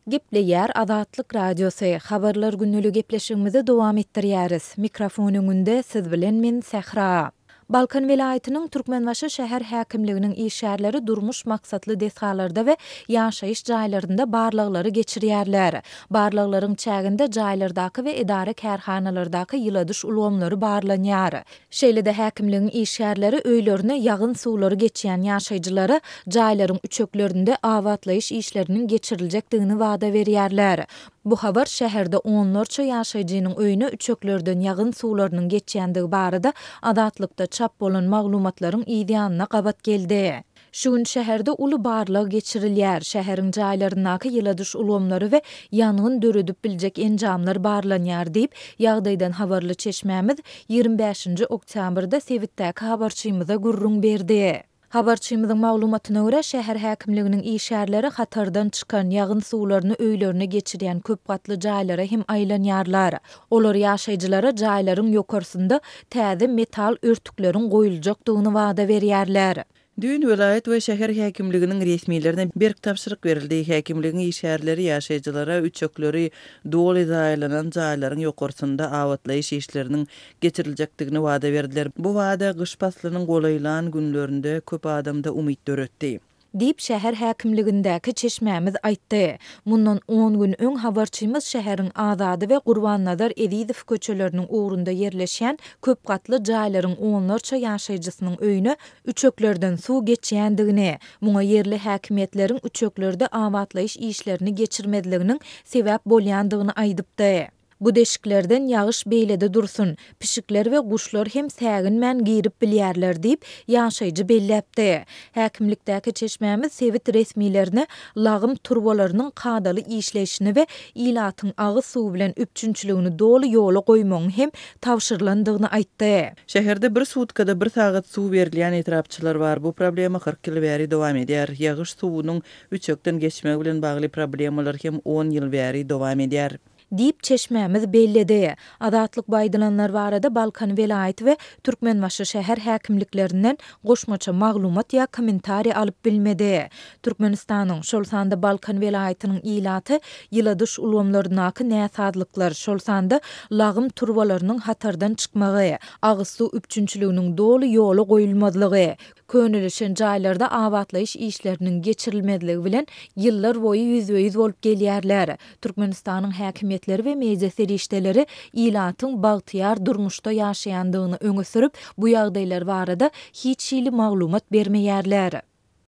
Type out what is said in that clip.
Gepleýär Azatlyk Radiosy, Habarlar günüli gepleşigimizi dowam etdirýäris. Mikrofon öňünde siz bilen men Sähra. Balkan welaýatynyň Türkmenbaşy şäher häkimliginiň işgärleri durmuş maksatly desgalarda we ýaşaýyş jaýlarynda barlaglary geçirýärler. Barlaglaryň çäginde jaýlardaky we edara-kärhanalardaky ýyladyş ulgamlary barlanýar. Şeýle-de häkimligiň işgärleri öýlerine ýagyn suwlary geçýän ýaşaýjylara jaýlaryň üçeklerinde abatlaýyş işleriniň geçiriljekdigini wada berýärler. Bu habar şäherde onlarça ýaşaýjynyň öýüne üçeklerden ýagyn suwlarynyň geçýändigi barada Azatlykda çap bolan maglumatlaryň yzýanyna gabat geldi. Şu gün şäherde uly barlag geçirilýär, şäheriň jaýlaryndaky ýyladyş ulgamlary we ýangyn döredip biljek enjamlar barlanýar diýip, ýagdaýdan habarly çeşmämiz 25-nji oktýabrda sebitdäki habarçymyza gürrüň berdi. Habarçymyzyň maglumatyna görä, şäher häkimliginiň işgärleri hatardan çykan ýagyn suwlaryny öýlerine geçirýän köp gatly jaýlara hem aýlanýarlar. Olar ýaşaýjylara jaýlaryň ýokarsynda täze metal örtükleriň goýuljakdygyny wada berýärler. Düýn welaýat we şäher häkimliginiň resmilerine berk tabşyryk berildi. Häkimligiň işgärleri ýaşaýjylara üçekleri doly zaýalanan jaýlaryň ýokarsynda abatlaýyş işleriniň geçiriljekdigini wada berdiler. Bu wada gyş paslynyň golaýlan günlerinde köp adamda umyt döretdi. Diýip, şäher häkimligindäki çeşmämiz aýtdy. Mundan on gün öň habarçymyz şäheriň Azady we Gurbannazar Ezizow köçeleriniň ugrunda ýerleşýän köp gatly jaýlaryň onlarça ýaşaýjysynyň öýüne üçeklerden suw geçýändigini, muňa ýerli häkimiýetleriň üçeklerde abatlaýyş işlerini geçirmezliginiň sebäp bolýandygyny aýdypdy. Bu deşiklerden ýagyş beýlede dursun, pişikler we guşlar hem säginmän girip bilýärler diýip, ýaşaýjy belläpdi. Häkimlikdäki çeşmämiz sebit resmilerine lagym turbalarynyň kadaly işleýşini we ilatyň agyz suwy bilen üpjünçiligini doly ýola goýmagyň hem tabşyrylandygyny aýtdy. Şäherde bir sutkada bir sagat suw berilýän etrapçalar bar. Bu problema 40 ýyl bäri dowam edýär. Ýagyş suwunyň üçekden geçmegi bilen bagly problemalar hem on ýyl bäri dowam edýär. Diýip, çeşmämiz belledi. Azatlyk bu aýdylanlar barada Balkan welaýaty we Türkmenbaşy şäher häkimliklerinden goşmaça maglumat ýa kommentariý alyp bilmedi. Türkmenistanyň, şol sanda Balkan welaýatynyň ilaty ýyladyş ulgamlaryndaky näsazlyklar, şol sanda lagym turbalarynyň hatardan çykmagy, agyz suw üpjünçiliginiň doly ýola goýulmazlygy, Könelişen jaýlarda abatlaýyş işleriniň geçirilmezligi bilen ýyllar boýy ýüzbe-ýüz bolup gelýärler. Türkmenistanyň häkimiýetleri we media serişdeleri ilatyň bagtyýar durmuşda ýaşaýandygyny öňe sürüp, bu ýagdaýlar barada hiç hili maglumat bermeýärler.